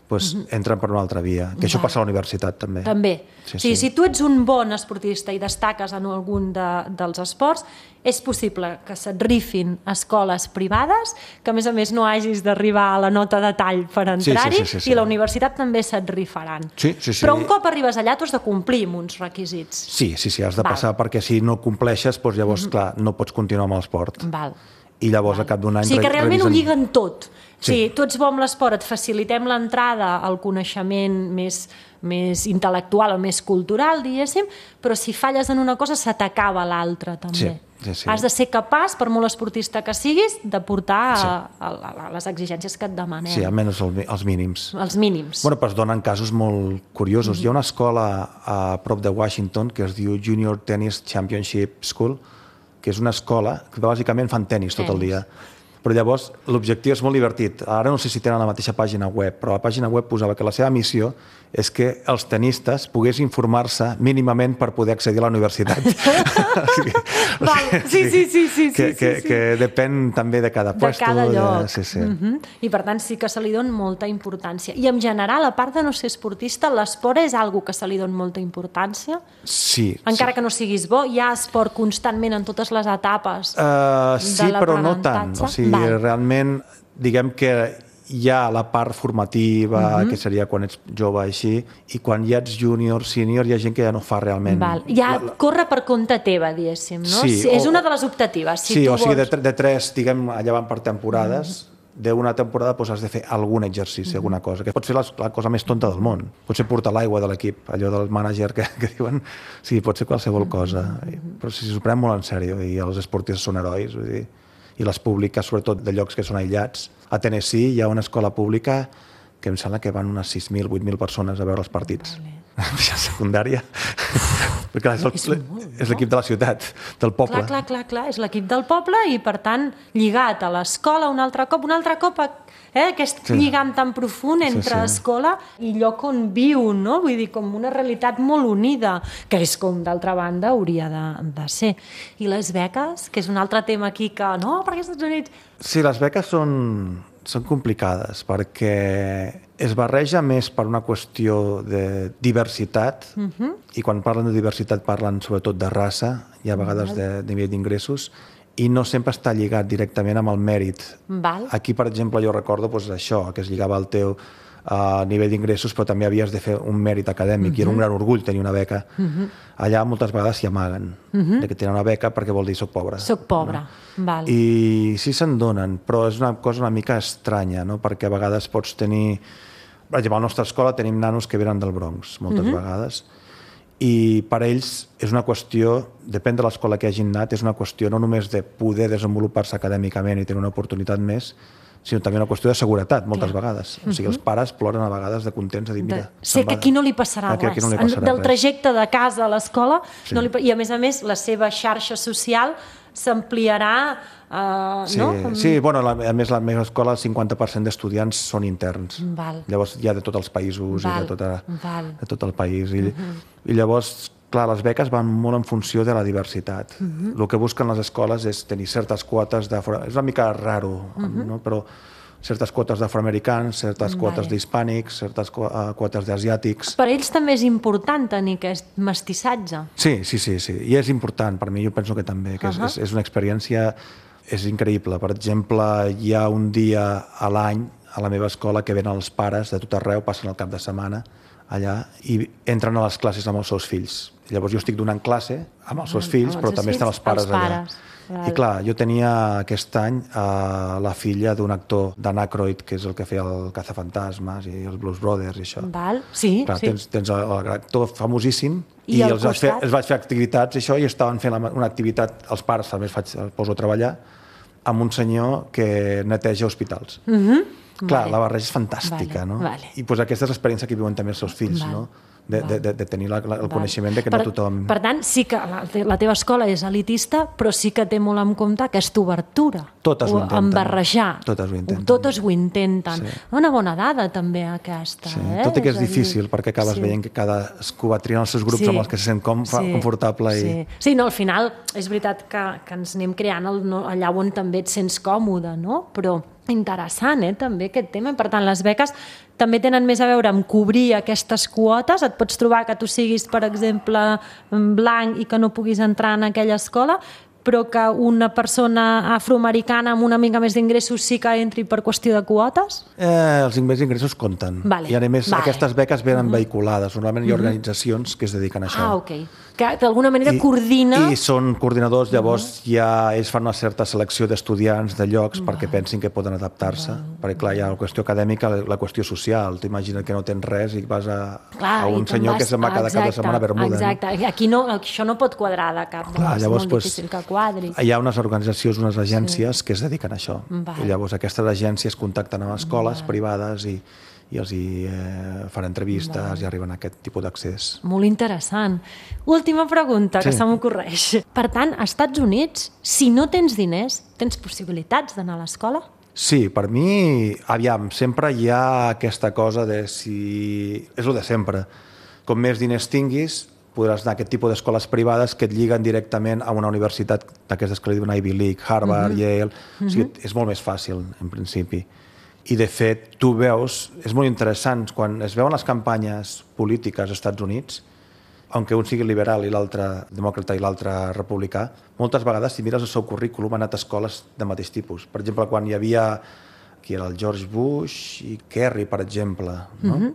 Pues uh-huh. entren per una altra via. Que això Val. Passa a la universitat, també. També. Sí, o sigui, sí. si tu ets un bon esportista i destaques en algun de, dels esports, és possible que se't rifin escoles privades, que a més a més no hagis d'arribar a la nota de tall per entrar-hi, sí, sí, sí, sí, sí. i la universitat també se't rifaran. Sí, sí, sí. Però un cop arribes allà tu has de complir amb uns requisits. Sí, sí, sí, has de Val. Passar, perquè si no compleixes, doncs llavors, uh-huh. clar, no pots continuar amb l'esport. Val. I llavors Val. A cap d'un any... O sigui que realment revisen... ho lliguen tot. Sí. Sí, tu ets bo amb l'esport, et facilitem l'entrada al coneixement més, més intel·lectual o més cultural, diguéssim, però si falles en una cosa se t'acaba l'altra també. Sí, sí, sí. Has de ser capaç, per molt esportista que siguis, de portar sí. a, a, a les exigències que et demanem. Sí, almenys els mínims. Els mínims. Bueno, però es donen casos molt curiosos. Mm-hmm. Hi ha una escola a prop de Washington que es diu Junior Tennis Championship School, que és una escola que bàsicament fan tenis tot el dia. Però llavors l'objectiu és molt divertit. Ara no sé si tenen la mateixa pàgina web, però la pàgina web posava que la seva missió és que els tenistes poguessin informar-se mínimament per poder accedir a la universitat. o sigui, Val, sí, sí, sí, sí, que, sí, que, sí. que depèn també de cada puesto. De cada lloc. De... Sí, sí. Uh-huh. I per tant sí que se li dona molta importància. I en general, a part de no ser esportista, l'esport és algo que se li dona molta importància? Sí. Encara sí. que no siguis bo, hi ha esport constantment en totes les etapes uh, de sí, però no tant. O sigui, Val. realment, diguem que hi ha la part formativa, uh-huh. que seria quan ets jove així, i quan ja ets júnior, sènior, hi ha gent que ja no fa realment... Val. Ja la, la... corre per compte teva, diguéssim, no? Sí, sí, és o... una de les optatives. Si sí, tu o sigui, vols... de, de tres, diguem, allà van per temporades, uh-huh. d'una temporada doncs, has de fer algun exercici, uh-huh. alguna cosa, que pots fer la, la cosa més tonta del món. Pot ser portar l'aigua de l'equip, allò del mànager que, que diuen... Sí, pot ser qualsevol cosa, uh-huh. però si s'ho pren molt en sèrio, i els esportistes són herois, vull dir... i les públiques, sobretot de llocs que són aïllats. A Tennessee hi ha una escola pública que em sembla que van unes sis mil, vuit mil persones a veure els partits. Vale. A secundària. Perquè és, el, és l'equip de la ciutat, del poble. Clar, clar, clar, clar. És l'equip del poble i, per tant, lligat a l'escola un altre cop, un altre cop, eh, aquest sí. lligam tan profund entre sí, sí. escola i lloc on viu, no? Vull dir, com una realitat molt unida, que és com, d'altra banda, hauria de, de ser. I les beques, que és un altre tema aquí que, no, perquè als Estats Units... Sí, les beques són, són complicades, perquè es barreja més per una qüestió de diversitat, uh-huh. i quan parlen de diversitat parlen sobretot de raça i a vegades uh-huh. de, de nivell d'ingressos, i no sempre està lligat directament amb el mèrit. Val. Aquí, per exemple, jo recordo doncs, això, que es lligava al teu uh, nivell d'ingressos, però també havies de fer un mèrit acadèmic, uh-huh. i era un gran orgull tenir una beca. Uh-huh. Allà moltes vegades s'hi amaguen, uh-huh. de que tenen una beca perquè vol dir soc pobre. Soc pobre, no? Val. I sí se'n donen, però és una cosa una mica estranya, no? Perquè a vegades pots tenir... Per exemple, a la nostra escola tenim nanos que venen del Bronx, moltes uh-huh. vegades, i per ells és una qüestió, depèn de l'escola que hagin anat, és una qüestió no només de poder desenvolupar-se acadèmicament i tenir una oportunitat més, sinó també una qüestió de seguretat, moltes Clar. vegades. O sigui, els pares ploren a vegades de contents, de dir, mira... De... Sé que aquí no li passarà aquí, res. Aquí no li passarà Del trajecte de casa a l'escola, sí. no li... i a més a més la seva xarxa social s'ampliarà... Uh, sí, no? sí, bueno, la, a més la meva escola el cinquanta per cent d'estudiants són interns. Val. Llavors hi ha de tots els països Val. i de, tota, Val. de tot el país. I, uh-huh. i llavors, clar, les beques van molt en funció de la diversitat. Uh-huh. El que busquen les escoles és tenir certes quotes de... És una mica raro, uh-huh. no? Però certes quotes d'afroamericans, certes quotes vale. d'hispànics, certes quotes d'asiàtics. Per ells també és important tenir aquest mestissatge. Sí, sí, sí, sí. I és important, per mi jo penso que també, que uh-huh. és, és una experiència... És increïble. Per exemple, hi ha un dia a l'any a la meva escola que venen els pares de tot arreu, passen el cap de setmana allà i entren a les classes amb els seus fills. Llavors jo estic donant classe amb els seus fills, però també estan els pares, els pares. allà. I clar, jo tenia aquest any uh, la filla d'un actor, Dan Aykroyd, que és el que feia el Cazafantasmes i els Blues Brothers i això. Val, sí, clar, sí. Tens, tens l'actor famosíssim i, i els vaig fer, els vaig fer activitats i això, i estaven fent una activitat, els pares també els, faig, els poso a treballar, amb un senyor que neteja hospitals. Uh-huh. Clar, vale. la barreja és fantàstica, vale. no? Vale. I pues, aquesta és l'experiència que viuen també els seus fills, vale. no? De, de, de, de tenir la, la, el vale. coneixement de que per, no tothom... Per tant, sí que la, la teva escola és elitista, però sí que té molt en compte aquesta obertura. Totes ho intenten. En barrejar. Totes ho intenten. Totes ho intenten. Sí. Una bona dada, també, aquesta. Sí. Eh? Tot i que és, és difícil, dir... perquè acabes sí. veient que cadascú va triant els seus grups sí. amb els que se sent com, sí. confortable. I... Sí. sí, no, al final és veritat que, que ens anem creant el, no, allà on també et sents còmode, no? Però interessant, eh, també, aquest tema. Per tant, les beques també tenen més a veure amb cobrir aquestes quotes. Et pots trobar que tu siguis, per exemple, blanc i que no puguis entrar en aquella escola, però que una persona afroamericana amb una mica més d'ingressos sí que entri per qüestió de quotes? Eh, els ingressos compten. Vale. I a més vale. aquestes beques venen uh-huh. vehiculades. Normalment hi ha uh-huh. organitzacions que es dediquen a això. Ah, ok. Que d'alguna manera I, coordina... I són coordinadors, llavors uh-huh. ja ells fan una certa selecció d'estudiants de llocs uh-huh. perquè pensin que poden adaptar-se. Uh-huh. Perquè clar, hi ha la qüestió acadèmica, la, la qüestió social. T'imagines que no tens res i vas a, clar, a un senyor vas... que se'n va cada cap de setmana a Bermuda. Exacte, no? Aquí no, això no pot quadrar de cap. Clar, llavors, és molt pues, difícil que quadri. Hi ha unes organitzacions, unes agències sí. que es dediquen a això. Vale. I llavors aquestes agències contacten amb escoles vale. privades i, i els hi eh, fan entrevistes vale. I arriben a aquest tipus d'accés. Molt interessant. Última pregunta que sí. se m'ocorreix. Per tant, als Estats Units, si no tens diners, tens possibilitats d'anar a l'escola? Sí, per mi, aviam, sempre hi ha aquesta cosa de si... És el de sempre. Com més diners tinguis, podràs anar a aquest tipus d'escoles privades que et lliguen directament a una universitat d'aquestes que li diuen Ivy League, Harvard, uh-huh. Yale... Uh-huh. O sigui, és molt més fàcil, en principi. I, de fet, tu veus... És molt interessant, quan es veuen les campanyes polítiques als Estats Units, aunque un sigui liberal i l'altre demòcrata i l'altre republicà, moltes vegades, si mires el seu currículum, han anat a escoles de mateix tipus. Per exemple, quan hi havia... Qui era el George Bush i Kerry, per exemple, no? Uh-huh.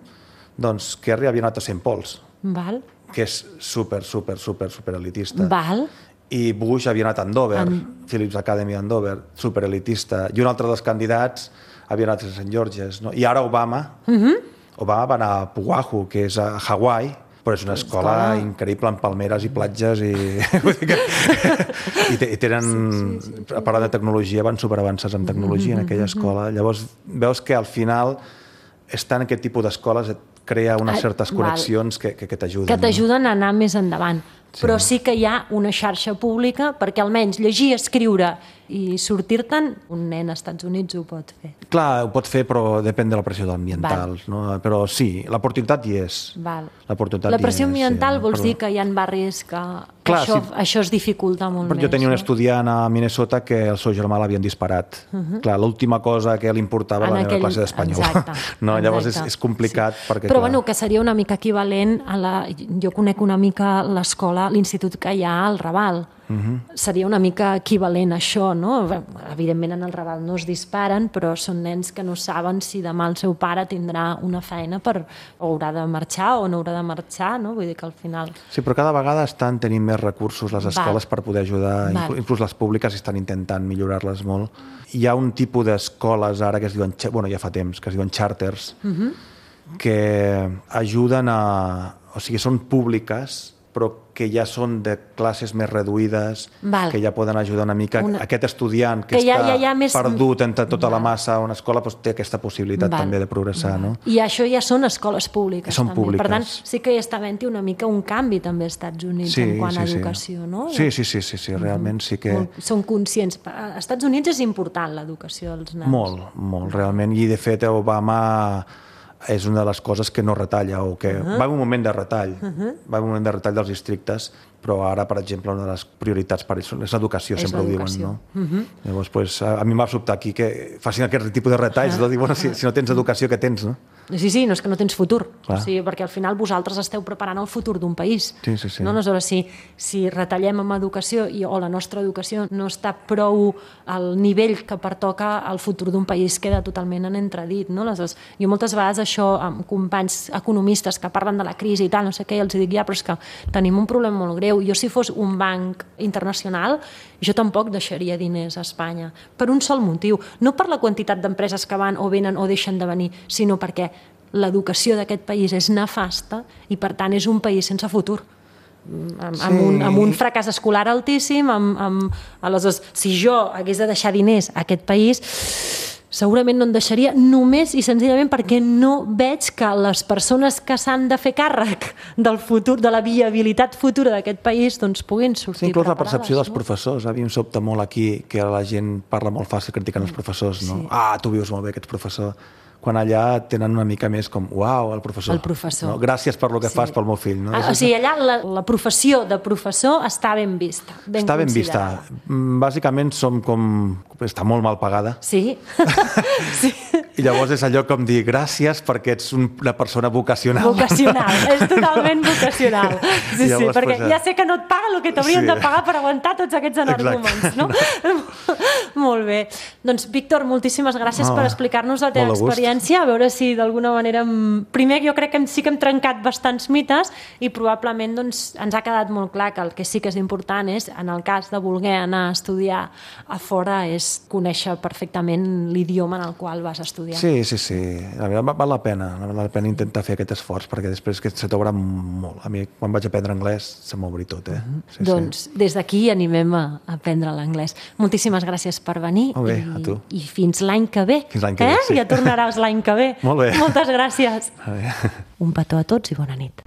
Doncs Kerry havia anat a Saint Paul's. Val. Que és super, super, super, super elitista. Val. I Bush havia anat a Andover, en... Phillips Academy a Andover, super elitista. I un altre dels candidats havia anat a Saint George's. No? I ara Obama, uh-huh. Obama va anar a Oahu, que és a Hawaii, però és una escola, escola increïble amb palmeres i platges i... I tenen... Sí, sí, sí. Parlant de tecnologia, van superavançats en tecnologia mm-hmm. en aquella escola. Llavors veus que al final estar en aquest tipus d'escoles et crea unes certes connexions que, que, que t'ajuden. Que t'ajuden no? a anar més endavant. Sí. Però sí que hi ha una xarxa pública perquè almenys llegir, escriure i sortir-te'n, un nen als Estats Units ho pot fer. Clar, ho pot fer, però depèn de la pressió ambiental. No? Però sí, l'oportunitat hi és. Val. L'oportunitat la pressió hi és, ambiental sí, vols però... dir que hi ha barris que Clar, això, sí. això es dificulta molt però més. Jo tenia no? un estudiant a Minnesota que el seu germà l'havien disparat. Uh-huh. Clar, l'última cosa que li importava era aquell... la classe d'espanyol. Exacte. No, exacte. Llavors és, és complicat. Sí. Perquè, però clar... bueno, que seria una mica equivalent a la... Jo conec una mica l'escola, l'institut que hi ha al Raval. Uh-huh. Seria una mica equivalent a això, no? Evidentment en el Raval no es disparen, però són nens que no saben si demà el seu pare tindrà una feina per o haurà de marxar o no haurà de marxar, no? Vull dir que al final... Sí, però cada vegada estan tenint més recursos les escoles Val. Per poder ajudar, Val. Inclús les públiques estan intentant millorar-les molt. Hi ha un tipus d'escoles ara que es diuen, bueno, ja fa temps, que es diuen charters, uh-huh. que ajuden a... O sigui, són públiques, però que ja són de classes més reduïdes, Val. Que ja poden ajudar una mica. Una... Aquest estudiant que, que ja, està ja, ja més... perdut entre tota Val. La massa a una escola doncs té aquesta possibilitat Val. També de progressar. No? I això ja són escoles públiques. Són també. Públiques. Per tant, sí que hi està havent una mica un canvi també als Estats Units sí, en quant sí, a educació. Sí. No? Sí, sí, sí, sí, sí, realment sí que... Molt, són conscients. Als Estats Units és important l'educació dels nens. Molt, molt, realment. I de fet Obama... és una de les coses que no retalla o que uh-huh. va en un moment de retall uh-huh. va en un moment de retall dels districtes, però ara, per exemple, una de les prioritats per ells és l'educació, és sempre ho diuen, no? Uh-huh. Llavors, pues, a, a mi m'ha sobtat aquí que facin aquest tipus de retalls, uh-huh. no? Dir, bueno, si, si no tens educació, què tens, no? Sí, sí, no és que no tens futur, o sigui, perquè al final vosaltres esteu preparant el futur d'un país. Sí, sí, sí. No? Aleshores, si, si retallem amb educació i, o la nostra educació no està prou al nivell que pertoca al futur d'un país, queda totalment en entredit. No? Aleshores, jo moltes vegades això amb companys economistes que parlen de la crisi i tal, no sé què, els dic, ja, però és que tenim un problema molt greu. Jo, si fos un banc internacional, jo tampoc deixaria diners a Espanya, per un sol motiu. No per la quantitat d'empreses que van o venen o deixen de venir, sinó perquè l'educació d'aquest país és nefasta i, per tant, és un país sense futur. Amb, sí. amb, un, amb un fracàs escolar altíssim, amb, amb, aleshores, si jo hagués de deixar diners a aquest país, segurament no en deixaria només i senzillament perquè no veig que les persones que s'han de fer càrrec del futur, de la viabilitat futura d'aquest país, doncs puguin sortir sí, inclús preparades. La percepció dels no? professors. A mi em sobta molt aquí que la gent parla molt fàcil criticant els professors. No? Sí. Ah, tu vius molt bé, que ets professor. Quan allà tenen una mica més com, uau, el professor. El professor. No? Gràcies per lo que sí. fas pel meu fill. No? Ah, o sigui, allà la, la professió de professor està ben vista. Ben està ben vista. Bàsicament som com... Està molt mal pagada. Sí. sí. I llavors és allò com dir gràcies perquè ets una persona vocacional. Vocacional, és totalment vocacional. Sí, llavors, sí, perquè pues, ja sé que no et paguen el que t'haurien sí. de pagar per aguantar tots aquests energúmens, no? Molt bé. Doncs, Víctor, moltíssimes gràcies no, per explicar-nos la teva experiència, a veure si d'alguna manera... Primer, jo crec que sí que hem trencat bastants mites i probablement doncs, ens ha quedat molt clar que el que sí que és important és, en el cas de voler anar a estudiar a fora, és conèixer perfectament l'idioma en el qual vas estudiar. Sí, sí, sí. La veritat, val la pena. Val la pena intentar fer aquest esforç perquè després que se t'obre molt. a mi quan vaig aprendre anglès se m'obri tot, eh? Mm-hmm. Sí, doncs sí. des d'aquí animem a aprendre l'anglès. Moltíssimes gràcies per venir. Molt bé, i, a tu. I fins l'any que ve. Fins l'any que eh? ve, sí. Ja tornaràs l'any que ve. Molt bé. Moltes gràcies. A veure. Un petó a tots i bona nit.